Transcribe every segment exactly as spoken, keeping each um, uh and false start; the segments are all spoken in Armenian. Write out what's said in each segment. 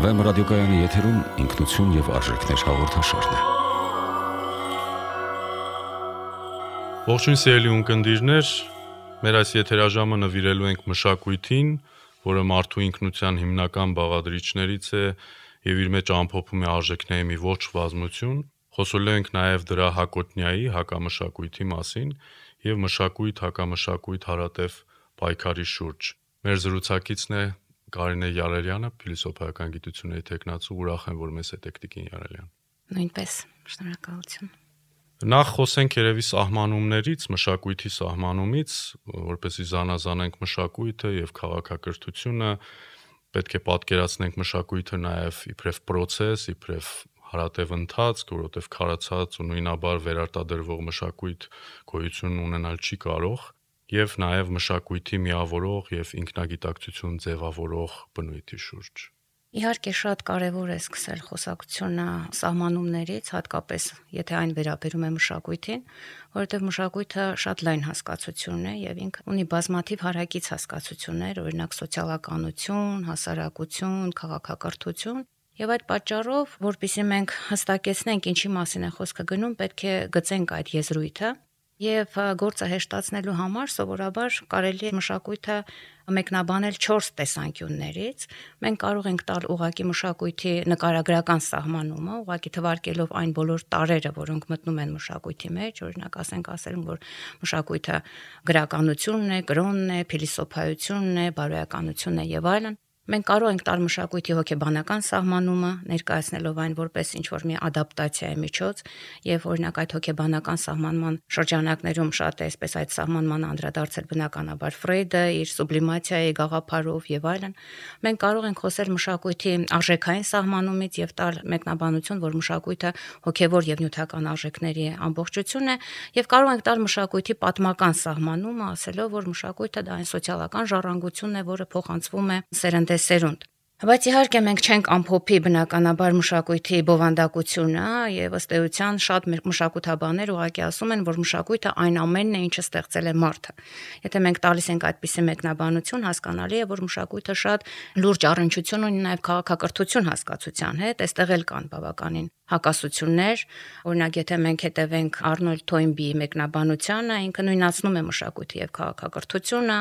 Վեմ ռադիոկայանի եթերում ինքնություն եւ արժեքներ հաղորդաշարն է։ Ողջույն սիրելի ունկնդիրներ, մեր այս եթերաժամը նվիրելու ենք մշակույթին, որը մարդու ինքնության հիմնական բաղադրիչներից է եւ իր մեջ ամփոփում է արժեքների մի ողջ բազմություն։ Խոսելու ենք նաեւ դրա հակոտնյայի, հակամշակույթի մասին եւ մշակույթ, հակամշակույթ հարատև պայքարի շուրջ։ Մեր զրուցակիցն է Կարինե Յարելյանը, փիլիսոփայական գիտությունների թեկնածու, ուրախ եմ, որ մեզ հետ եք Տիկին Յարելյան։ Նույնպես, շնորհակալություն։ Նախ խոսենք երևի սահմանումներից, մշակույթի սահմանումից, որպեսզի զանազանենք մշակույթը եւ քաղաքակրթությունը, պետք է պատկերացնենք մշակույթը նաեւ իբրև process, իբրև հարատև ընթացք, որովհետեւ քարացած ու նույնաբար վերարտադրվող մշակույթ գոյություն ունենալ չի կարող, եւ նաեւ մշակույթի միավորող եւ ինքնագիտակցություն ձևավորող բնույթի շուրջ։ Իհարկե շատ կարևոր է սկսել խոսակցությունը սահմանումներից, հատկապես եթե այն վերաբերում է մշակույթին, որովհետև մշակույթը շատ լայն հասկացություն է եւ ինքը ունի բազմաթիվ հարակից հասկացություններ, օրինակ սոցիալականություն, հասարակություն, քաղաքակրթություն, եւ այդ պատճառով, որpիսի մենք հստակեցնենք ինչի մասին է խոսքը գնում, պետք է գծենք այդ եզրույթը եւ գործը հեշտացնելու համար սովորաբար կարելի է մշակույթը մեկնաբանել չորս տեսանկյուններից։ Մենք կարող ենք տալ ուղղակի մշակույթի նկարագրական սահմանումը, ուղղակի թվարկելով այն բոլոր տարրերը, որոնք մտնում են մշակույթի մեջ, օրինակ ասենք ասել, որ մշակույթը գրականությունն է, կրոնն է, փիլիսոփայությունն է, բարոյականությունն է եւ այլն։ Մենք կարող ենք տալ մշակույթի հոգեբանական սահմանումը, ներկայացնելով այն որպես ինչ-որ մի ադապտացիայի միջոց, եւ օրինակ այդ հոգեբանական սահմանման շրջանակներում շատ է այսպես այդ սահմանման անդրադարձել բնականաբար Ֆրեյդը իր սուբլիմացիայի գաղափարով եւ այլն։ Մենք կարող ենք խոսել մշակույթի արժեքային սահմանումից եւ տալ մեկնաբանություն, որ մշակույթը հոգեվոր եւ նյութական արժեքների ամբողջություն է, եւ կարող ենք տալ մշակույթի պատմական սահմանումը, ասելով, որ մշակույթը դա այն սոցիալական ժառանգությունն է, որը փոխանցվում է սերնդե սերունդ։ Բայց իհարկե մենք չենք ամփոփի բնականաբար մշակույթի բովանդակությունը եւ ըստ էության շատ մշակութաբաններ ուղղակի ասում են, որ մշակույթը այն ամենն է, ինչը ստեղծել է մարդը։ Եթե մենք տալիս ենք այդպիսի մեկնաբանություն, հասկանալի է, որ մշակույթը շատ լուրջ առնչություն ունի նաեւ քաղաքակրթություն հասկացության հետ, այստեղ էլ կան բավականին հակասություններ, օրինակ եթե մենք հետևենք Արնոլդ Թոյնբիի մեկնաբանությանը, ինքը նույնացնում է մշակույթը եւ քաղաքակրթությունը,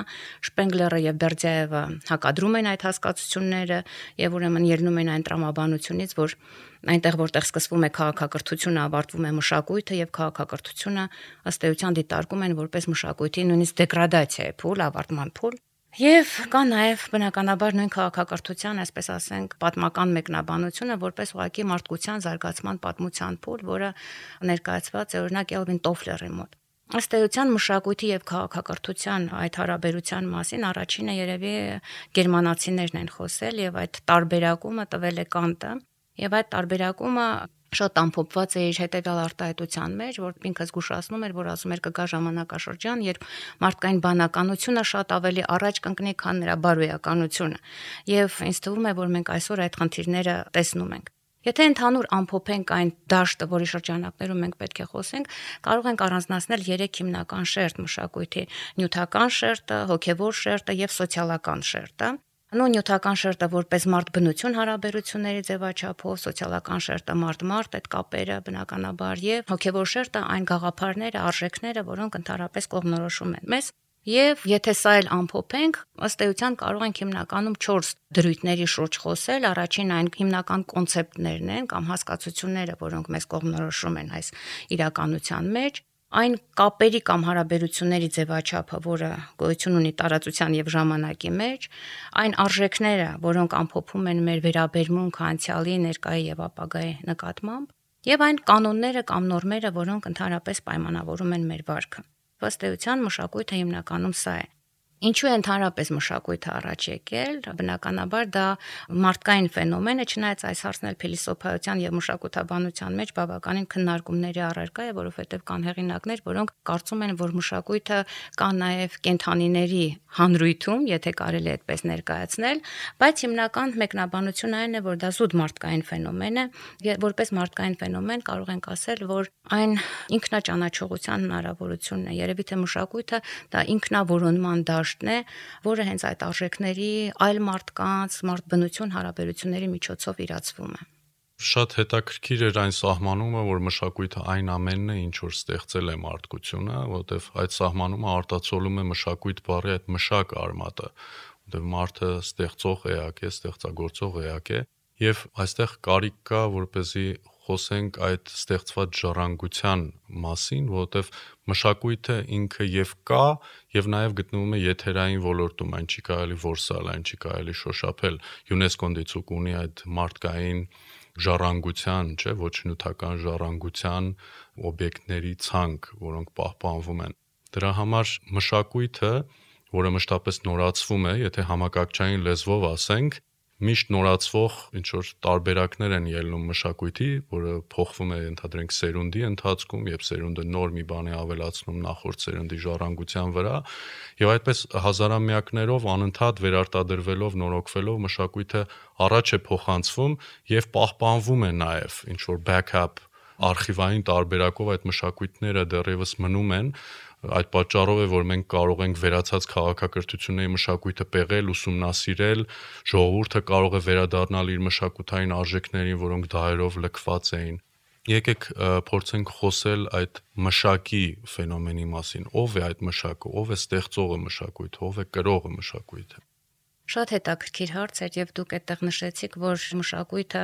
Շպենգլերը եւ Բերդյայևը հակադրում են այդ հասկացությունները եւ ուրեմն ելնում են այն տրամաբանությունից, որ այնտեղ որտեղ սկսվում է քաղաքակրթությունը, ավարտվում է մշակույթը եւ քաղաքակրթությունը ըստ էության դիտարկում են որպես մշակույթի նույնիսկ դեգրադացիայի փուլ, ավարտման փուլ։ Եվ կա նաև բնականաբար նույն քաղաքակրթության, այսպես ասենք, պատմական մեկնաբանությունը որպես ուղղակի մարդկության զարգացման պատմության փուլ, որը ներկայացված է օրինակ Էլվին Տոֆլերի մոտ։ Ըստ էության մշակույթի եւ քաղաքակրթության այդ հարաբերության մասին առաջինը երևի գերմանացիներն են խոսել եւ այդ տարբերակումը տվել է Կանտը եւ այդ տարբերակումը շատ ամփոփված է իր հետեւյալ արտահայտության մեջ, որ ինքը զգուշացնում էր, որ ասում էր կգա ժամանակաշրջան, երբ մարդկային բանականությունը շատ ավելի առաջ կընկնի, քան նրա բարոյականությունը։ Եվ ինձ թվում է, որ մենք այսօր այդ խնդիրները տեսնում ենք։ Եթե ընդհանուր ամփոփենք այն դաշտը, որի շրջանակներում մենք պետք է խոսենք, կարող ենք առանձնացնել երեք հիմնական շերտ մշակույթի՝ նյութական շերտը, հոգեվոր շերտը եւ սոցիալական շերտը։ Նո նյութական շերտը որպես մարդ-բնություն հարաբերությունների ձևաչափով, սոցիալական շերտը մարդ-մարդ այդ կապերը բնականաբար եւ հոգեվոր շերտը այն գաղափարները, արժեքները, որոնք ընդհանրապես կողմնորոշում են մեզ։ Եվ եթե սա էլ ամփոփենք, ըստ էության կարող ենք հիմնականում չորս դրույթների շուրջ խոսել, առաջին այն հիմնական կոնցեպտներն են կամ հասկացությունները, որոնք մեզ կողմնորոշում են այս իրականության մեջ, այն կապերի կամ հարաբերությունների ձևաչափը, որը գոյություն ունի տարածության եւ ժամանակի մեջ, այն արժեքները, որոնք ամփոփում են մեր վերաբերմունքը անցյալի, ներկայի եւ ապագայի նկատմամբ, եւ այն կանոնները կամ նորմերը, որոնք ընդհանրապես պայմանավորում են մեր վարքը։ Ըստ էության մշակույթը հիմնականում սա է։ Ինչու է ընդհանրապես մշակույթը առաջ եկել, բնականաբար դա մարդկային ֆենոմեն է, չնայած այս հարցն էլ փիլիսոփայության եւ մշակութաբանության մեջ բավականին քննարկումների առարկա է, որովհետեւ կան հեղինակներ, որոնք կարծում են, որ մշակույթը կա նաեւ կենդանիների հանրույթում, եթե կարելի է այդպես ներկայացնել, բայց հիմնական մեկնաբանությունը այն է, որ դա զուտ մարդկային ֆենոմեն է, եւ որպես մարդկային ֆենոմեն կարող ենք ասել, որ այն ինքնաճանաչողության հնարավորությունն է, երևի թե մշակույթը դա ինքնավորոնման դաշտ դաշտն է, որը հենց այդ արժեքների այլ մարդկանց, մարդ-բնություն հարաբերությունների միջոցով իրացվում է։ Շատ հետաքրքիր էր այն սահմանումը, որ մշակույթը այն ամենն է, ինչ որ ստեղծել է մարդկությունը, որովհետև այդ սահմանումը արտացոլում է մշակույթ բառի այդ մշակ արմատը, որովհետև մարդը ստեղծող էակ է, ստեղծագործող էակ է, եւ այստեղ կարիք կա, որպեսզի խոսենք այդ ստեղծված ժառանգության մասին, որովհետև մշակույթը ինքը եւ կա եւ նաեւ գտնվում է եթերային ոլորտում, այն չի կարելի որսալ, այն չի կարելի շոշափել։ ՅՈՒՆԵՍԿՕ-ն դիցուկ ունի այդ մարդկային ժառանգության, չէ, ոչ նյութական ժառանգության օբյեկտների ցանկ, որոնք պահպանվում են։ Դրա համար մշակույթը, որը մշտապես նորացվում է, եթե համակարգչային լեզվով ասենք, միշտ նորացվող ինչ որ տարբերակներ են ելնում մշակույթի, որը փոխվում է ընդհանրենք սերունդի ընթացքում, եւ սերունդը նոր մի բան է ավելացնում նախորդ սերունդի ժառանգության վրա, եւ այդպես հազարամյակներով անընդհատ վերարտադրվելով, նորոգվելով մշակույթը առաջ է փոխանցվում եւ պահպանվում է նաեւ ինչ որ backup արխիվային տարբերակով այդ մշակույթները դեռևս մնում են։ Այդ պատճառով է, որ մենք կարող ենք վերացած քաղաքակրթությունների մշակույթը պեղել, ուսումնասիրել, ժողովուրդը կարող է վերադառնալ իր մշակութային արժեքներին, որոնք դահերով լքված էին։ Եկեք փորձենք խոսել այդ մշակի ֆենոմենի մասին։ Ո՞վ է այդ մշակը, ո՞վ է ստեղծողը մշակույթը, ով է կրողը մշակույթը։ Շատ հետաքրքիր հարց էր եւ դուք այդտեղ նշեցիք, որ մշակույթը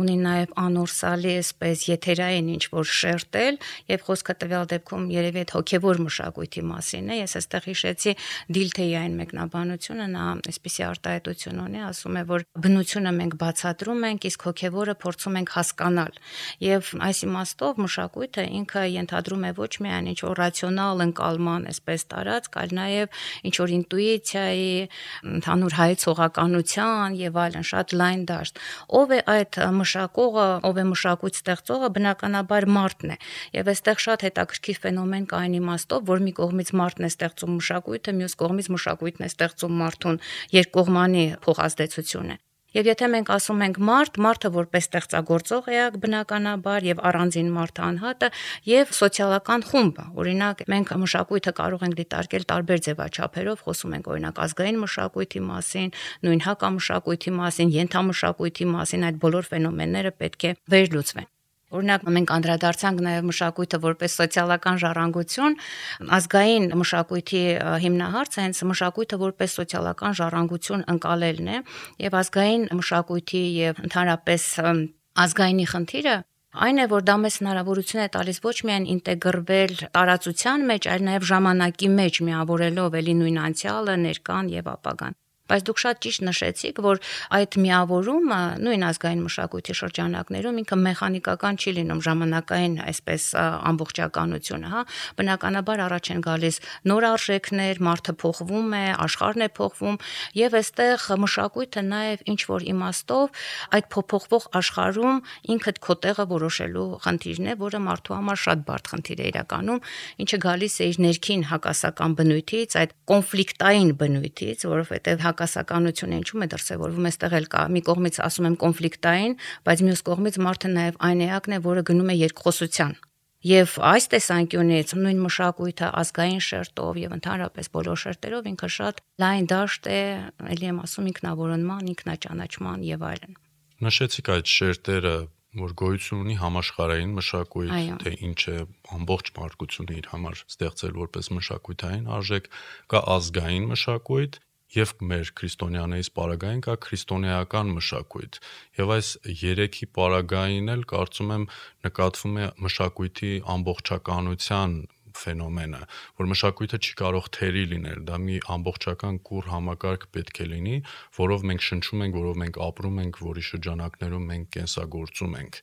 ունի նաեւ անորսալի այսպես եթերային ինչ որ շերտել եւ խոսքը տվյալ դեպքում երևի այդ հոգեվոր մշակույթի մասին է։ Ես այստեղ հիշեցի Դիլթեի այն մեկնաբանությունը, նա այսպիսի արտահայտություն ունի, ասում է, որ բնությունը մենք բացատրում ենք, իսկ հոգեվորը փորձում ենք հասկանալ։ Եվ այս իմաստով մշակույթը ինքը ենթադրում է ոչ միայն ինչ որ ռացիոնալ ընկալման, այսպես տարածք, այլ նաեւ ինչ որ ինտուիցիայի, ընդհանուր ցողականության եւ այլն շատ լայն դաշտ։ Ով է այդ մշակողը, ով է մշակույթ ստեղծողը, բնականաբար մարդն է։ Եվ այստեղ շատ հետաքրքիր ֆենոմեն կա այն իմաստով, որ մի կողմից մարդն է ստեղծում մշակույթը, մյուս կողմից մշակույթն է ստեղծում մարդուն, երկկողմանի փոխազդեցություն է։ Եվ եթե մենք ասում ենք մարդ, մարդը որպես ստեղծագործող էակ բնականաբար եւ առանձին մարդ անհատը եւ սոցիալական խումբը, օրինակ մենք մշակույթը կարող ենք դիտարկել տարբեր ձևաչափերով, խոսում ենք օրինակ ազգային մշակույթի մասին, նույն հակամշակույթի մասին, ենթամշակույթի մասին, այդ բոլոր ֆենոմենները պետք է վերլուծվեն։ Օրինակ մենք անդրադարձանք նաև մշակույթը որպես սոցիալական ժառանգություն, ազգային մշակույթի հիմնահարցը հենց մշակույթը որպես սոցիալական ժառանգություն ընկալելն է, եւ ազգային մշակույթի եւ ընդհանրապես ազգայինի խնդիրը այն է, որ դա մեզ հնարավորություն է տալիս ոչ միայն ինտեգրվել տարածության մեջ, այլ նաև ժամանակի մեջ միավորելով էլի նույն անցյալը, ներկան եւ ապագան։ Բայց դուք շատ ճիշտ նշեցիք, որ այդ միավորումը նույն ազգային մշակույթի շրջանակներում ինքը մեխանիկական չի լինում, ժամանակային այսպես ամբողջականությունը, հա, բնականաբար առաջ են գալիս նոր արժեքներ, մարդը փոխվում է, աշխարհն է փոխվում եւ այստեղ մշակույթը նաեւ ինչ որ իմաստով այդ փոփոխվող աշխարհում ինքդ քո տեղը որոշելու խնդիրն է, որը մարդու համար շատ բարդ խնդիր է իրականում, ինչը գալիս է իր ներքին հակասական բնույթից, այդ կոնֆլիկտային բնույթից, որովհետեւ հակասականությունը ինչու՞մ է դրսևորվում, այստեղ էլ կա մի կողմից ասում եմ կոնֆլիկտային, բայց մյուս կողմից մարդը նաև այն էակն է, որը գնում է երկխոսության։ Եվ այս տեսանկյունից նույն մշակույթը ազգային շերտով եւ ընդհանրապես բոլոր շերտերով ինքը շատ լայն դաշտ է, ելի եմ ասում ինքնավորոնման, ինքնաճանաչման եւ այլն։ Նշեցիք այդ շերտերը, որ գոյություն ունի համաշխարհային մշակույթ, թե ինչ է ամբողջ մարդկությունը իր համար ստեղծել որպես մշակութային արժեք, կա ազգային մշակույթ եւ մեր քրիստոնյաներից պարագային կա քրիստոնեական մշակույթ։ Եվ այս երեքի պարագային էլ կարծում եմ նկատվում է մշակույթի ամբողջականության ֆենոմենը, որ մշակույթը չի կարող թերի լինել, դա մի ամբողջական կուռ համակարգ պետք է լինի, որով մենք շնչում ենք, որով մենք ապրում ենք, որի շրջանակներում մենք կենսագործում ենք։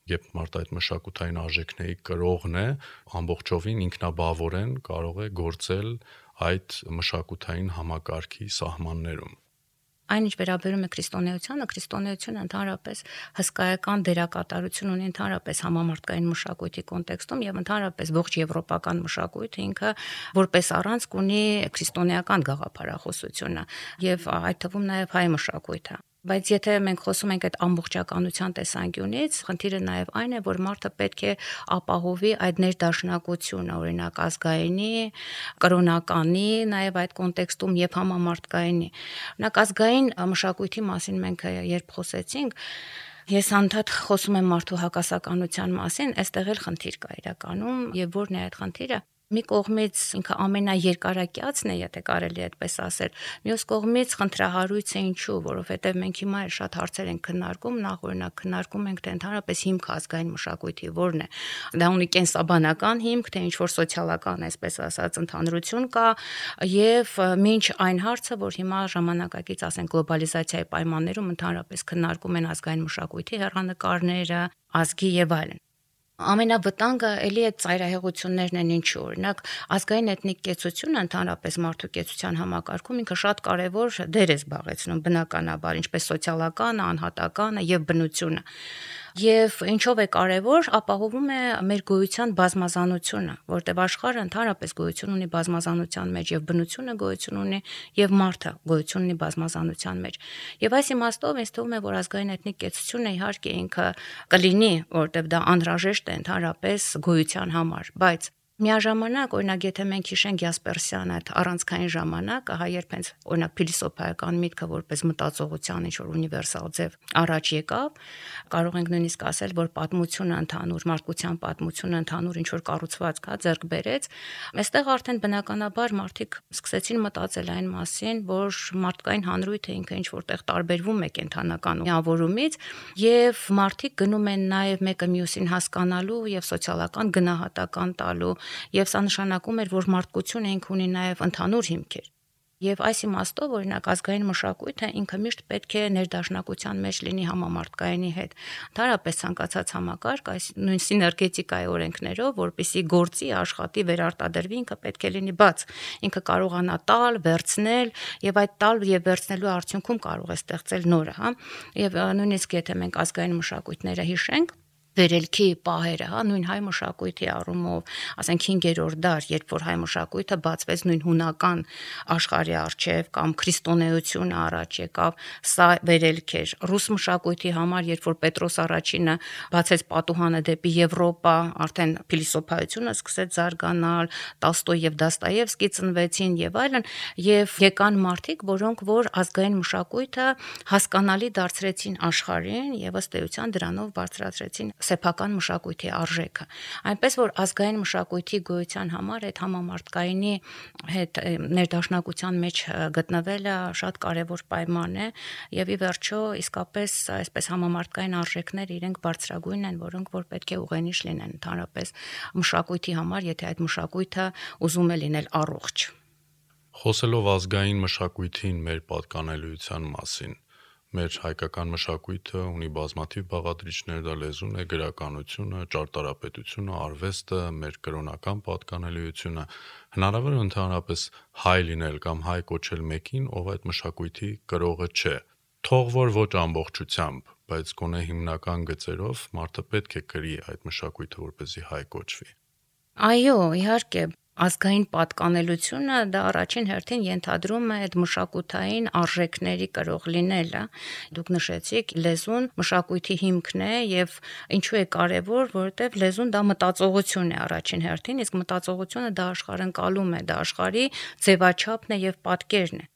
Երբ մարդ այդ մշակութային արժեքների կրողն է, ամբողջովին ինքնաբավորեն կարող է գործել այդ մշակութային համակարգի սահմաններում։ Այն ինչ վերաբերում է քրիստոնեությանը, քրիստոնեությունը ընդհանրապես հսկայական դերակատարություն ունի ընդհանրապես համամարտկային մշակույթի կոնտեքստում եւ ընդհանրապես ողջ եվրոպական մշակույթը ինքը որպես առանցք ունի քրիստոնեական գաղափարախոսությունը եւ այդ թվում նաեւ հայ մշակույթը։ Բայց եթե մենք խոսում ենք այդ ամբողջականության տեսանկյունից, խնդիրը նաև այն է, որ մարդը պետք է ապահովի այդ ներդաշնակությունը, օրինակ ազգայինի, կրոնականի, նաև այդ կոնտեքստում եւ համամարտկայինի։ Օրինակ ազգային մշակույթի մասին մենք երբ խոսեցինք, ես անդադ խոսում եմ մարդու հակասականության մասին, այստեղ էլ խնդիր կա իրականում, եւ որն է այդ խնդիրը։ Մի կողմից ինքը ամենաերկարակյացն է, եթե կարելի է այդպես ասել, մյուս կողմից խնդրահարույց է ինչու, որովհետև մենք հիմա էլ շատ հարցեր ենք քննարկում, նախ օրինակ քննարկում ենք թե ընդհանրապես հիմք ազգային մշակույթի որն է։ Դա ունի կենսաբանական հիմք, թե ինչ որ սոցիալական, այսպես ասած, ընդհանրություն կա, եւ մինչ այն հարցը, որ հիմա ժամանակակից, ասենք, գլոբալիզացիայի պայմաններում ընդհանրապես քննարկում են ազգային մշակույթի հեռանկարները, ազգի եւ այլն։ Ամենավտանգը էլի այդ ծայրահեղություններն են ինչու, օրինակ ազգային էթնիկ կեցությունը ընդհանրապես մարդու կեցության համակարգում ինքը շատ կարևոր դեր է զբաղեցնում բնականաբար, ինչպես սոցիալականը, անհատականը եւ բնությունը։ Եվ ինչով է կարևոր, ապահովում է մեր գոյության բազմազանությունը, որտեղ աշխարհը ընդհանրապես գոյություն ունի բազմազանության մեջ եւ բնությունը գոյություն ունի եւ մարդը գոյություն ունի բազմազանության մեջ։ Եվ այս իմաստով ինձ թվում է, որ ազգային էթնիկ կեցությունը իհարկե ինքը կլինի, որտեղ դա անհրաժեշտ է ընդհանրապես գոյության համար, բայց միաժամանակ, օրինակ, եթե մենք հիշենք Յասպերսյան այդ առանցքային ժամանակը, հա երբ հենց օրինակ փիլիսոփայական միտքը որպես մտածողության ինչ-որ ունիվերսալ ձև առաջ եկավ, կարող ենք նույնիսկ ասել, որ պատմությունը ընդհանուր, մարդկության պատմությունը ընդհանուր ինչ-որ կառուցվածք հա ձեռք բերեց, այստեղ արդեն բնականաբար մարդիկ սկսեցին մտածել այն մասին, որ մարդկային հանրույթը ինքը ինչ-որտեղ տարբերվում է կենթանական միավորումից, եւ մարդիկ գնում են նաեւ մեկը մյուսին հասկանալու եւ սոցիալական գնահատական տալու. Եվ սա նշանակում էր, որ մարդկությունը ինք ունի նաև ընդհանուր հիմքեր։ Եվ այս իմաստով, օրինակ, ազգային մշակույթը ինքը միշտ պետք է ներդաշնակության մեջ լինի համամարտկայինի հետ։ Ընդհանրապես ցանկացած համակարգ այս նույն սիներգետիկայի օրենքներով, որպեսզի գործի, աշխատի, վերարտադրվի, ինքը պետք է լինի բաց։ Ինքը կարողանա տալ, վերցնել, եւ այդ տալ եւ վերցնելու արդյունքում կարող է ստեղծել նորը, հա։ Եվ նույնիսկ եթե մենք ազգային մշակույթները հիշենք, վերելքի պահերը, հա, նույն հայ մշակույթի առումով, ասենք հինգերորդ դար, երբ որ հայ մշակույթը բացվեց նույն հունական աշխարհի առջև կամ քրիստոնեությունը առաջ եկավ, սա վերելք էր։ Ռուս մշակույթի համար, երբ որ Պետրոս առաջինը բացեց պատուհանը դեպի Եվրոպա, արդեն փիլիսոփայությունը սկսեց զարգանալ, Տոլստոյ եւ Դոստոևսկի ծնվեցին եւ այլն, եւ եկան մարդիկ, որոնք որ ազգային մշակույթը հասկանալի դարձրեցին աշխարհին եւ ըստ էության դրանով բարձրացրեցին սեփական մշակույթի արժեքը, այնպես որ ազգային մշակույթի գոյության համար այդ համամարտկայինի հետ ներդաշնակության մեջ գտնվելը շատ կարևոր պայման է եւ ի վերջո իսկապես այսպես համամարտկային արժեքները իրենք բարձրագույն են, որոնք որ պետք է ուղենիշ լինեն ընդհանրապես մշակույթի համար, եթե այդ մշակույթը ուզում է լինել առողջ։ Խոսելով ազգային մշակույթին մեր պատկանելիության մասին, մեր հայկական մշակույթը ունի բազմաթիվ բաղադրիչներ, դա լեզուն է, գրականությունը, ճարտարապետությունը, արվեստը, մեր կրոնական պատկանելիությունը, հնարավոր է ընդհանրապես հայ լինել կամ հայ կոչել մեկին, ով այդ մշակույթի կրողը չէ։ Թող որ ոչ ամբողջությամբ, բայց գոնե հիմնական գծերով մարդը պետք է կրի այդ մշակույթը, որպեսզի հայ կոչվի։ Այո, իհարկե, ազգային պատկանելությունը դա առաջին հերթին ենթադրում է այդ մշակութային արժեքների կրող լինելը։ Դուք նշեցիք, լեզուն մշակույթի հիմքն է եւ ինչու է կարեւոր, որովհետեւ լեզուն դա մտածողություն է առաջին հերթին, իսկ մտածողությունը դա աշխարհընկալում է, դա աշխարհի ձևաչափն է եւ պատկերն է։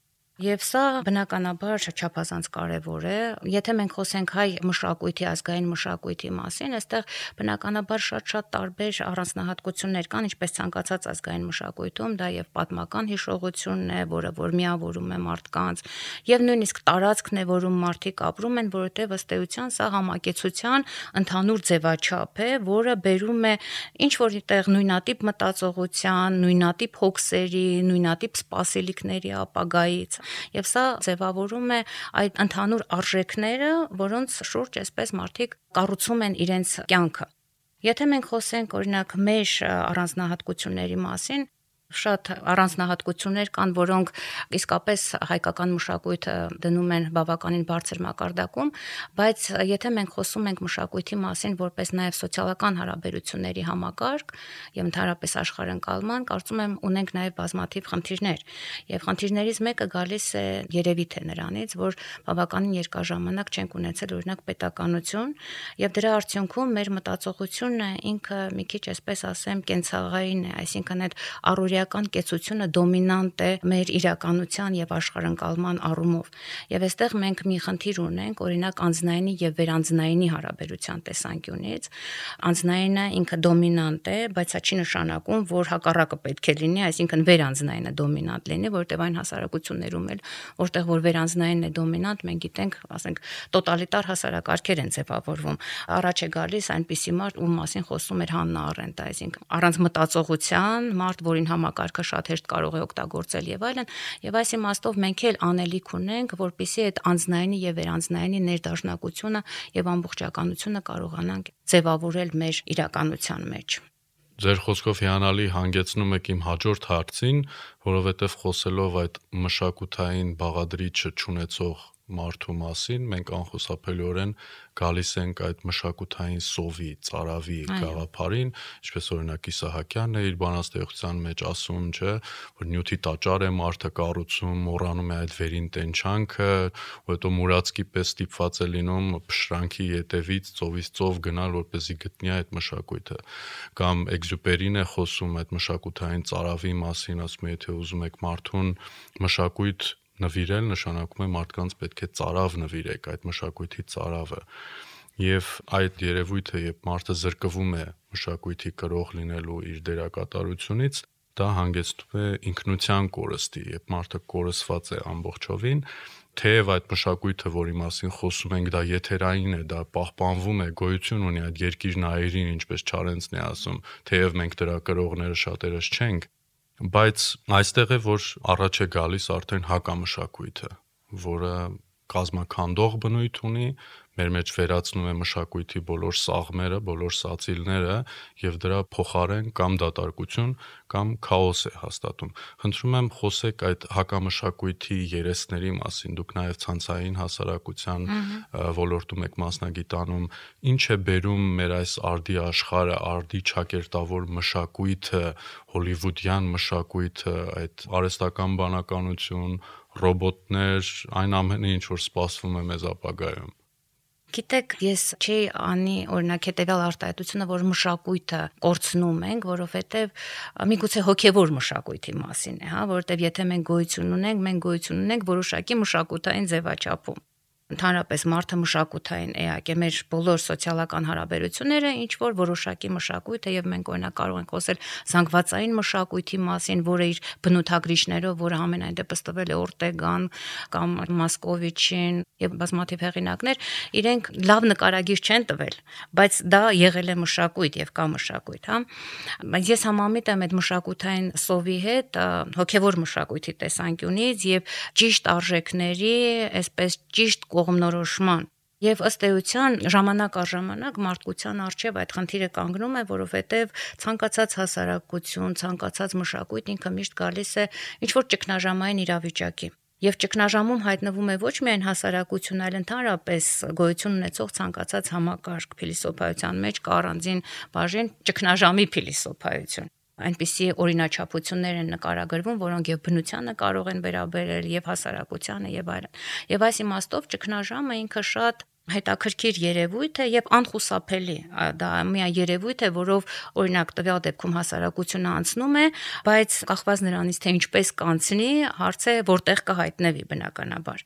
Եվ սա բնականաբար չափազանց կարևոր է։ Եթե մենք խոսենք հայ մշակույթի, ազգային մշակույթի մասին, այստեղ բնականաբար շատ-շատ տարբեր առանձնահատկություններ կան, ինչպես ցանկացած ազգային մշակույթում, դա եւ պատմական հիշողությունն է, որը որ միավորում է մարդկանց, եւ նույնիսկ տարածքն է, որում մարդիկ ապրում են, որովհետեւ ըստ էության սա համակեցության ընդհանուր ձևաչափ է, որը բերում է ինչ որ տեղ նույնատիպ մտածողության, նույնատիպ հոգսերի, նույնատիպ սպասելիքների ապագայից։ Եվ սա ձևավորում է այդ ընդհանուր արժեքները, որոնց շուրջ այսպես մարդիկ կառուցում են իրենց կյանքը։ Եթե մենք խոսենք օրինակ մեր առանձնահատկությունների մասին, Շատ առանձնահատկություններ կան, որոնք իսկապես հայկական մշակույթը դնում են բավականին բարձր մակարդակում, բայց եթե մենք խոսում ենք մշակույթի մասին որպես նաև սոցիալական հարաբերությունների համակարգ եւ ընդհանրապես աշխարհընկալման, կարծում եմ ունենք նաև բազմաթիվ խնդիրներ։ Եվ խնդիրներից մեկը գալիս է երևի թե նրանից, որ բավականին երկար ժամանակ չենք ունեցել օրինակ պետականություն, եւ դրա արդյունքում մեր մտածողությունը ինքը մի քիչ այսպես ասեմ կենցաղային է, այսինքն այդ առօրեական կեցությունը դոմինանտ է մեր իրականության եւ աշխարհընկալման առումով։ Եվ այստեղ մենք մի խնդիր ունենք, օրինակ անձնայինի եւ վերանձնայինի հարաբերության տեսանկյունից։ Անձնայինը ինքը դոմինանտ է, բայց դա չի նշանակում, որ հակառակը պետք է լինի, այսինքն վերանձնայինը դոմինանտ լինի, որտեղ այն հասարակություններում էլ, որտեղ որ վերանձնայինն է դոմինանտ, մենք գիտենք, ասենք, տոտալիտար հասարակարգեր են ձևավորվում։ Առաջ է գալիս այնպիսի մարդ, ում մասին խոսում էր Հաննա Արենտը, այսինքն առանց մտածողության մարդ, որին համակարգը շատ հեշտ կարող է օգտագործել եւ այլն, եւ այս իմաստով մենք էլ անելիք ունենք, որպեսզի այդ անձնայինի եւ վերանձնայինի ներդաշնակությունը եւ ամբողջականությունը կարողանանք ձևավորել մեր իրականության մեջ։ Ձեր խոսքով հիանալի հանգեցնում եք իմ հաջորդ հարցին, որովհետև խոսելով այդ մշակութային բաղադրիչը չունեցող մարդու մասին, մենք անխուսափելիորեն գալիս ենք այդ մշակութային սովի, ծարավի գաղափարին, ինչպես օրինակ Իսահակյանն է իր բանաստեղծության մեջ ասում, չէ, որ նյութի տաճար է մարդը կառուցում, մոռանում է այդ վերին տենչանքը, ու հետո մուրացկի պես ստիպված է լինում փշրանքի ետևից ծովից ծով գնալ, որպեսզի գտնի այդ մշակույթը։ Կամ Էքզյուպերին է խոսում այդ մշակութային ծարավի մասին, ասում է, եթե ուզում եք մարդուն մշակույթ նվիրել, նշանակում է մարդկանց պետք է ծարավ նվիրեք, այդ մշակույթի ծարավը։ Եվ այդ երևույթը, երբ մարդը զրկվում է մշակույթի կրող լինելու իր դերակատարությունից, դա հանգեցնում է ինքնության կորստի, երբ մարդը կորսված է ամբողջովին, թեև այդ մշակույթը, որի մասին խոսում ենք, դա եթերային է, դա պահպանվում է, գոյություն ունի այդ երկիրն այրին, ինչպես Չարենցն է ասում, թեև մենք դրա կրողները շատերս չենք, բայց այստեղ է, որ առաջ է գալիս արդեն հակամշակույթը, որը կազմաքանդող բնույթ ունի, մեր մեջ վերացնում է մշակույթի բոլոր սաղմերը, բոլոր սացիլները եւ դրա փոխարեն կամ դատարկություն, կամ քաոս է հաստատում։ Խնդրում եմ խոսեք այդ հակամշակույթի երեսների մասին, դուք նաեւ ցանցային հասարակության ոլորտում եք մասնագիտանում, ինչ է բերում մեր այս արդի աշխարհը, արդի ճակերտավոր մշակույթը, հոլիվուդյան մշակույթը, այդ արհեստական բանականություն, ռոբոտներ, այն ամենը, ինչ որ սպասվում է մեզ ապագայում։ Գիտեք, ես չի անի օրինակ հետեւյալ արտահայտությունը, որ մշակույթը կորցնում ենք, որովհետև միգուցե հոգևոր մշակույթի մասին է, հա, որովհետև եթե մենք գոյություն ունենք, մենք գոյություն ունենք որոշակի մշակութային ձևաչափում։ Ընդհանրապես մարդը մշակութային էակ է, մեր բոլոր սոցիալական հարաբերությունները ինչ որ որոշակի մշակույթ է եւ մենք օրինակ կարող ենք խոսել զանգվածային մշակույթի մասին, որը իր բնութագրիչներով, որը ամենայն դեպս տվել է Օրտեգան կամ Մասկովիչին եւ բազմաթիվ հեղինակներ, իրենք լավ նկարագիր չեն տվել, բայց դա եղել է մշակույթ եւ կա մշակույթ, հա։ Բայց ես համամիտ եմ այդ մշակութային սովի հետ, հոգեվոր մշակույթի տեսանկյունից եւ ճիշտ արժեքների, այսպես ճիշտ կողմնորոշման Եվ ըստ էության ժամանակ առ ժամանակ մարդկության առջև այդ խնդիրը կանգնում է, որովհետև ցանկացած հասարակություն, ցանկացած մշակույթ ինքը միշտ գալիս է ինչ-որ ճգնաժամային իրավիճակի։ Եվ ճգնաժամում հայտնվում է ոչ միայն հասարակություն, այլ ընդհանրապես գոյություն ունեցող ցանկացած համակարգ փիլիսոփայության մեջ կա առանձին բաժին ճգնաժամի փիլիսոփայություն։ Այնպիսի օրինաչափություններ են նկարագրվում, որոնք եւ բնությանը կարող են վերաբերել, եւ հասարակությանը եւ այլն։ Եվ այս իմաստով ճգնաժամը ինքը շատ հետաքրքիր երևույթ է եւ անխուսափելի։ Դա մի երևույթ է, որով օրինակ տվյալ դեպքում հասարակությունը անցնում է, բայց կախված նրանից թե ինչպես կանցնի, հարց է որտեղ կհայտնվի բնականաբար։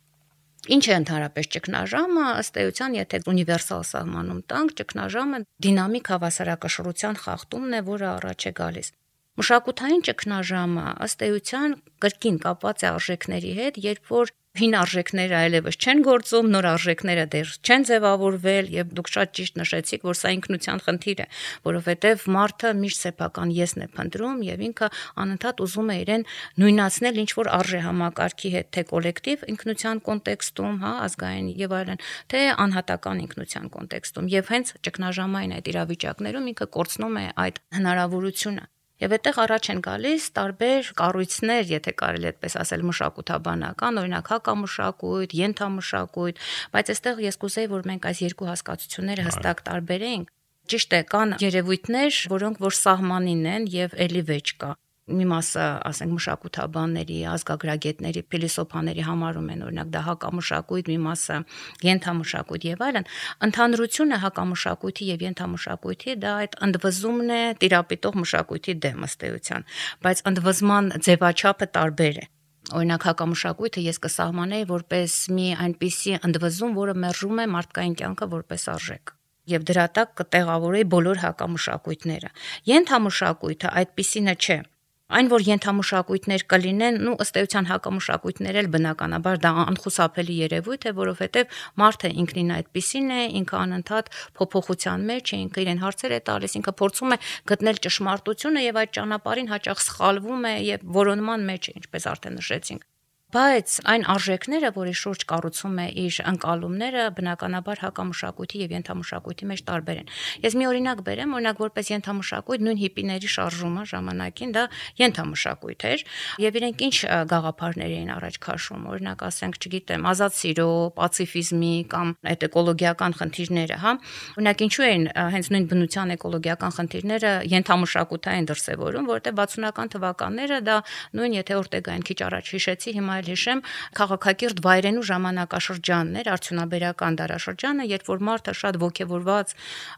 Ինչ է ընդհանրապես ճգնաժամը, ըստ էության, եթե ունիվերսալ սահմանում տանք, ճգնաժամը դինամիկ հավասարակշռության խախտումն է, որը առաջ է գալիս։ Մշակութային ճգնաժամը ըստ էության կրկին կապված է արժեքների հետ, երբ որ հին արժեքները այլևս չեն գործում, նոր արժեքները դեռ չեն ձևավորվել եւ դուք շատ ճիշտ նշեցիք, որ սա ինքնության խնդիր է, որովհետեւ մարդը միշտ սեփական եսն է փնտրում եւ ինքը անընդհատ ուզում է իրեն նույնացնել ինչ որ արժեհամակարգի հետ, թե կոլեկտիվ ինքնության կոնտեքստում, հա, ազգային եւ այլն, թե անհատական ինքնության կոնտեքստում եւ հենց ճգնաժամային այդ իրավիճակներում ինքը կորցնում է այդ հնարավորությունը։ Եվ այդտեղ առաջ են գալիս տարբեր կառույցներ, եթե կարելի այդպես ասել, մշակութաբանական, օրինակ հակամշակույթ, ենթամշակույթ, բայց այստեղ ես կուզեի, որ մենք այս երկու հասկացությունները հստակ տարբերենք։ Ճիշտ է, կան երևույթներ, որոնք որ սահմանին են եւ էլի վեճ կա։ Մի մասը, ասենք, մշակութաբանների, ազգագրագետների, փիլիսոփաների համարում են, օրինակ դա հակամշակույթ, մի մասը ենթամշակույթ եւ այլն։ Ընդհանրությունը հակամշակույթի եւ ենթամշակույթի դա այդ ընդվզումն է տիրապետող մշակույթի դեմ ըստ էության, բայց ընդվզման ձևաչափը տարբեր է։ Օրինակ հակամշակույթը ես կսահմանեի որպես մի այնպիսի ընդվզում, որը մերժում է մարդկային կյանքը որպես արժեք։ Եվ դրա տակ կտեղավորեի բոլոր հակամշակույթները։ Ենթամշակույթը այդպիսինը չէ։ Այն, որ ենթամշակույթներ կլինեն, նու ըստ էության հակամշակույթներ էլ բնականաբար դա անխուսափելի երևույթ է, որովհետև մարդը ինքնին այդպիսին է, ինքը անընդհատ փոփոխության մեջ է, ինքը իրեն հարցեր է տալիս, ինքը փորձում է գտնել ճշմարտությունը եւ այդ ճանապարհին հաճախ սխալվում է եւ որոնման մեջ է, ինչպես արդեն նշեցինք։ Բայց այն արժեքները, որի շուրջ կառուցում է իր ընկալումները, բնականաբար հակամշակույթի եւ ենթամշակույթի մեջ տարբեր են։ Ես մի օրինակ բերեմ, օրինակ որպես ենթամշակույթ նույն հիպիների շարժումը ժամանակին դա ենթամշակույթ էր եւ իրենք ինչ գաղափարներ էին առաջ քաշում, օրինակ ասենք, չգիտեմ, ազատ սիրո, պացիֆիզմի կամ այդ էկոլոգիական խնդիրները, հա։ Օրինակ ինչու են հենց նույն բնության էկոլոգիական խնդիրները ենթամշակութային դրսևորում, որովհետեւ վաթսունական թվականները դա նույն եթե Օրտեգային քիչ առաջ հիշեցի, հիմա հիշեմ, քաղաքակիրթ վայրենու ժամանակաշրջանն էր, արդյունաբերական դարաշրջանը, երբ որ մարդը շատ ոգևորված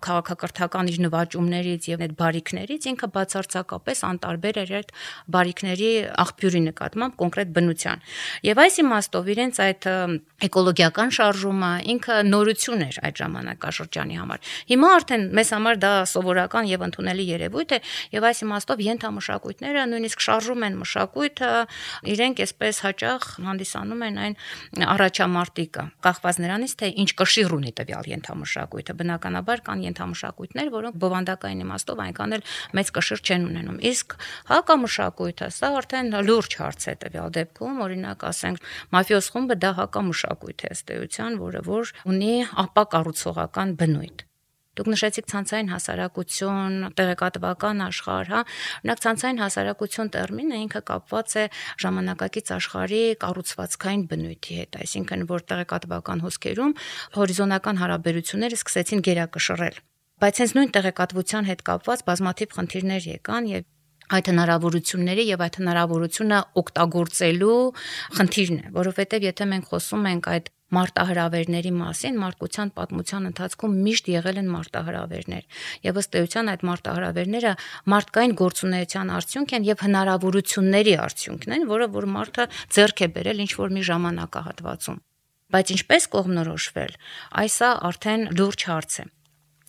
քաղաքակրթական իր նվաճումներից եւ այդ բարիքներից ինքը բացարձակապես անտարբեր էր այդ բարիքների աղբյուրի նկատմամբ կոնկրետ բնության։ Եվ այս իմաստով իրենց այդ էկոլոգիական շարժումը ինքը նորություն էր այդ ժամանակաշրջանի համար։ Հիմա արդեն մեզ համար դա սովորական եւ ընդունելի երևույթ է եւ այս իմաստով ենթամշակույթները նույնիսկ շարժում են մշակույթը, իրենք այսպես հաճախ հանդիսանում են այն առաջամարտիկը, կախված նրանից, թե ինչ կշիռ ունի տվյալ ենթամշակույթը։ Բնականաբար կան ենթամշակույթներ, որոնք բովանդակային իմաստով այնքան էլ մեծ կշիռ չեն ունենում։ Իսկ հակամշակույթը սա արդեն լուրջ հարց է տվյալ դեպքում, օրինակ ասենք, մաֆիոզ խումբը դա հակամշակույթ է ըստ էության, որը որ ունի ապակառուցողական բնույթ։ Դուք նշեցիք ցանցային հասարակություն, տեղեկատվական աշխարհ, հա, օրինակ ցանցային հասարակություն տերմինը ինքը կապված է ժամանակակից աշխարհի կառուցվածքային բնույթի հետ, այսինքն որ տեղեկատվական հոսքերում հորիզոնական հարաբերությունները սկսեցին գերակշռել։ Բայց հենց նույն տեղեկատվության հետ կապված բազմաթիվ խնդիրներ եկան եւ այդ հնարավորությունների եւ այդ հնարավորությունը օգտագործելու խնդիրն է, որովհետեւ եթե մենք խոսում ենք այդ մարտահրավերների մասին, մարդկության պատմության ընթացքում միշտ եղել են մարտահրավերներ եւ ըստ էության այդ մարտահրավերները մարդկային գործունեության արդյունք են եւ հնարավորությունների արդյունքն են, որը որ մարդը ձեռք է բերել ինչ որ մի ժամանակահատվածում։ Բայց ինչպես կողմնորոշվել, այսա արդեն լուրջ հարց է։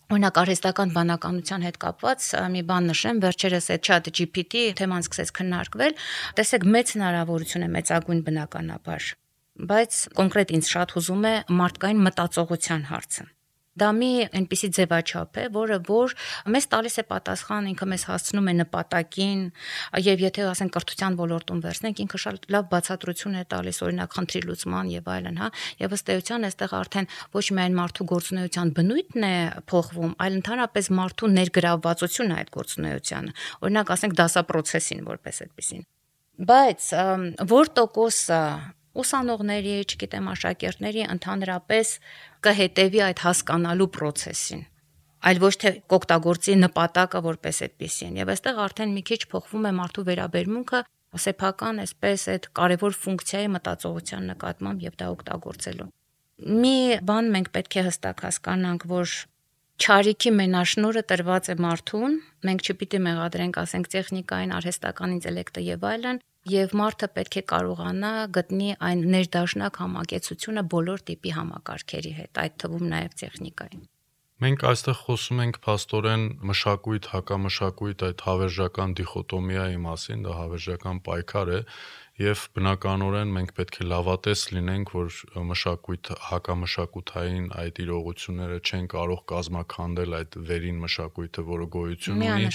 Օրինակ արհեստական բանականության հետ կապված մի բան նշեմ, վերջերս այդ Chat G P T թեման սկսեց քննարկվել, տեսեք մեծ հնարավորություն է մեծագույն բնականաբար, բայց կոնկրետ ինձ շատ հուզում է մարդկային մտածողության հարցը։ Դա մի այնպիսի ձևաչափ է, որը որ մեզ տալիս է պատասխան, ինքը մեզ հասցնում է նպատակին, եւ եթե ասենք կրթության ոլորտում վերցնենք, ինքը շատ լավ բացատրություն է տալիս, օրինակ խնդրի լուծման եւ այլն, հա, եւ ըստ էության այստեղ արդեն ոչ միայն մարդու գործունեության բնույթն է փոխվում, այլ ընդհանրապես մարդու ներգրավվածությունը այդ գործունեությանը, օրինակ ասենք դասապրոցեսին որպես այդպեսին։ Բայց որ տոկոսը ուսանողների, չգիտեմ, աշակերտների ընդհանրապես կհետևի այդ հասկանալու process-ին, այլ ոչ թե կօգտագործի նպատակը որպես այդպեսին։ Եվ այստեղ արդեն մի քիչ փոխվում է մարդու վերաբերմունքը սեփական այսպես այդ կարևոր ֆունկցիայի մտածողության նկատմամբ եւ դա օգտագործելու։ Մի բան մենք պետք է հստակ հասկանանք, որ չարիքի մենաշնորհը տրված է մարդուն, մենք չպիտի մեղադրենք, ասենք, տեխնիկային, արհեստական ինտելեկտը եւ այլն, եւ մարդը պետք է կարողանա գտնի այն ներդաշնակ համակեցությունը բոլոր տիպի համակարգերի հետ, այդ թվում նաեւ տեխնիկային։ Մենք այստեղ խոսում ենք փաստորեն մշակույթ, հակամշակույթ, այդ հավերժական դիխոտոմիայի մասին, դա հավերժական պայքար է եւ բնականորեն մենք պետք է լավատես լինենք, որ մշակույթ, հակամշակութային այդ իրողությունները չեն կարող կազմաքանդել այդ վերին մշակույթը, որը գոյություն ունի,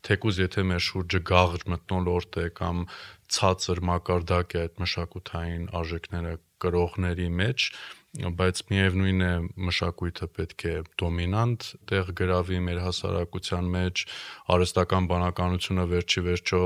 թեկուզ եթե մեր շուրջը գաղ մթնոլորտ է կամ ցածր մակարդակ է այդ մշակութային արժեքները կրողների մեջ, բայց միևնույն է մշակույթը պետք է դոմինանտ տեղ գրավի մեր հասարակության մեջ, արհեստական բանականությունը վերջի վերջո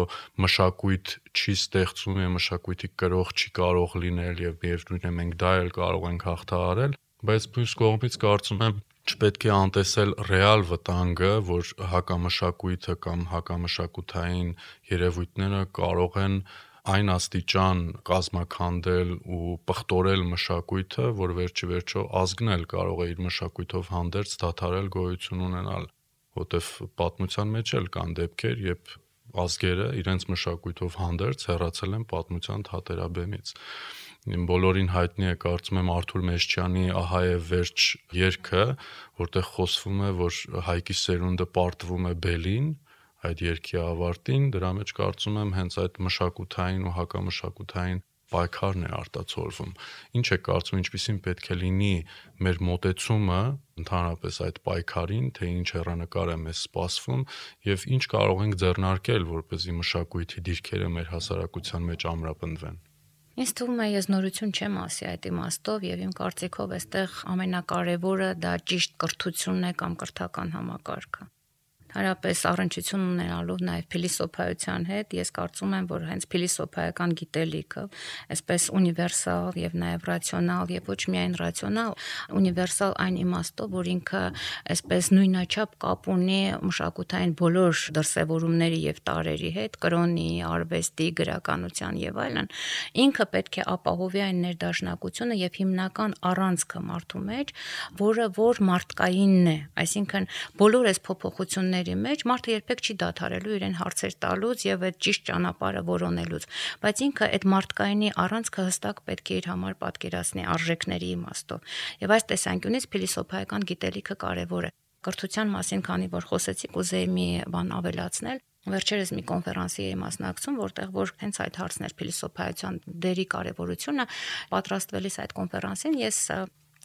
մշակույթ չի ստեղծում եւ մշակույթի կրող չի կարող լինել եւ միևնույն է մենք դա էլ կարող ենք հաղթահարել, բայց մյուս կողմից կարծում եմ չպետք է անտեսել ռեալ վտանգը, որ հակամշակույթը կամ հակամշակութային երևույթները կարող են այն աստիճան կազմաքանդել ու պղտորել մշակույթը, որ վերջի վերջո ազգն էլ կարող է իր մշակույթով հանդերձ դադարել գոյություն ունենալ, որտեվ պատմության մեջ էլ կան դեպքեր, երբ ազգերը իրենց մշակույթով հանդերձ հեռացել են պատմության թատերաբեմից։ Բոլորին հայտնի է, կարծում եմ, Արթուր Մեշչյանի «Ահա է վերջ» երգը, որտեղ խոսվում է, որ հայկի սերունդը պարտվում է բելին, այդ երգի ավարտին, դրա մեջ կարծում եմ հենց այդ մշակութային ու հակամշակութային պայքարն է արտացոլվում։ Ինչ է կարծում, ինչպիսին պետք է լինի մեր մոտեցումը ընդհանրապես այդ պայքարին, թե ինչ հեռանկար է մեզ սպասվում եւ ինչ կարող ենք ձեռնարկել, որպեսզի մշակույթի դիրքերը մեր հասարակության մեջ ամրապնդվեն։ Ինձ թվում է, ես նորություն չեմ ասի այդ իմաստով եւ իմ կարծիքով այստեղ ամենակարևորը դա ճիշտ կրթությունն է կամ կրթական համակարգը։ Հարաբերս առնչություն ունենալով նաև փիլիսոփայության հետ, ես կարծում եմ, որ հենց փիլիսոփայական գիտելիքը, այսպես ունիվերսալ եւ նաև ռացիոնալ եւ ոչ միայն ռացիոնալ, ունիվերսալ այն իմաստով, որ ինքը այսպես նույնաչափ կապ ունի մշակութային բոլոր դրսևորումների եւ տարերի հետ, կրոնի, արվեստի, գրականության եւ այլն, ինքը պետք է ապահովի այն ներդաշնակությունը եւ հիմնական առանցքը մարդու մեջ, որը որ մարդկայինն է, այսինքն բոլոր այս փոփոխությունները մեջ մարդը երբեք չի դադարելու իրեն հարցեր տալուց եւ այդ ճիշտ ճանապարհը որոնելուց, բայց ինքը այդ մարդկայինի առանցքը հստակ պետք է իր համար պատկերացնի արժեքների իմաստով։ Եվ այս տեսանկյունից փիլիսոփայական գիտելիքը կարևոր է։ Կրթության մասին, քանի որ խոսեցի, կուզեի մի բան ավելացնել։ Վերջերս մի կոնֆերանսի էի մասնակցում, որտեղ որ հենց այդ հարցն էր փիլիսոփայության դերի կարևորությունը, պատրաստվելիս այդ կոնֆերանսին ես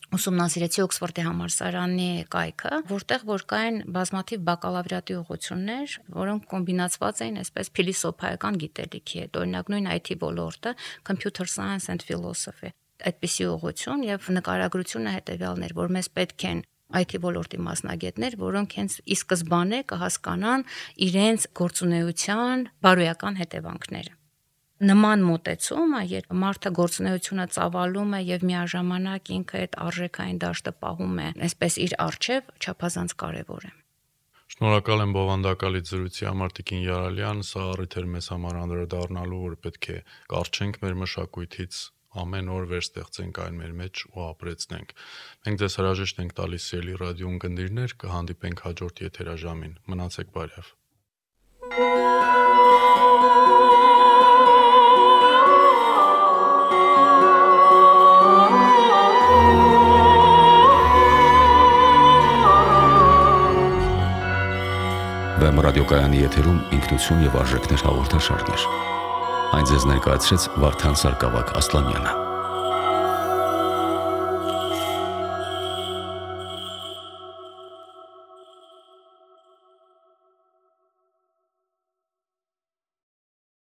ուսումնասիրեցի Օքսֆորդի համալսարանի կայքը, որտեղ որ կային բազմաթիվ բակալավրիատի ուղղություններ, որոնք կոմբինացված էին այսպես փիլիսոփայական գիտելիքի հետ, օրինակ նույն այ թի ոլորտը, Computer Science and Philosophy, այդպիսի ուղղություն եւ նկարագրությունը հետեւյալն էր, որ մեզ պետք են այ թի ոլորտի մասնագետներ, որոնք հենց ի սկզբանե կհասկանան իրենց գործունեության բարոյական հետևանքները։ Նման մոտեցումը, երբ մարդը գործունեությունը ծավալում է եւ միաժամանակ ինքը այդ արժեքային դաշտը պահում է, այսպես իր առջև, չափազանց կարեւոր է։ Շնորհակալ եմ բովանդակալից զրույցի համար Տիկին Յարալյան, սա առիթ էր մեզ համար անդրադառնալու, որ պետք է կարճենք մեր մշակույթից, ամեն օր վերստեղծենք այն մեր մեջ ու ապրեցնենք։ Մենք ձեզ հրաժեշտ ենք տալիս Սիրելի ռադիո ունկնդիրներ, կհանդիպենք հաջորդ եթերաժամին։ Մնացեք բարև։ Վեմ ռադիոկայանի եթերում ինքնություն եւ արժեքներ հաղորդաշարներ։ Այն ձեզ ներկայացրեց Վարդան Սարգսակ Ասլանյանը։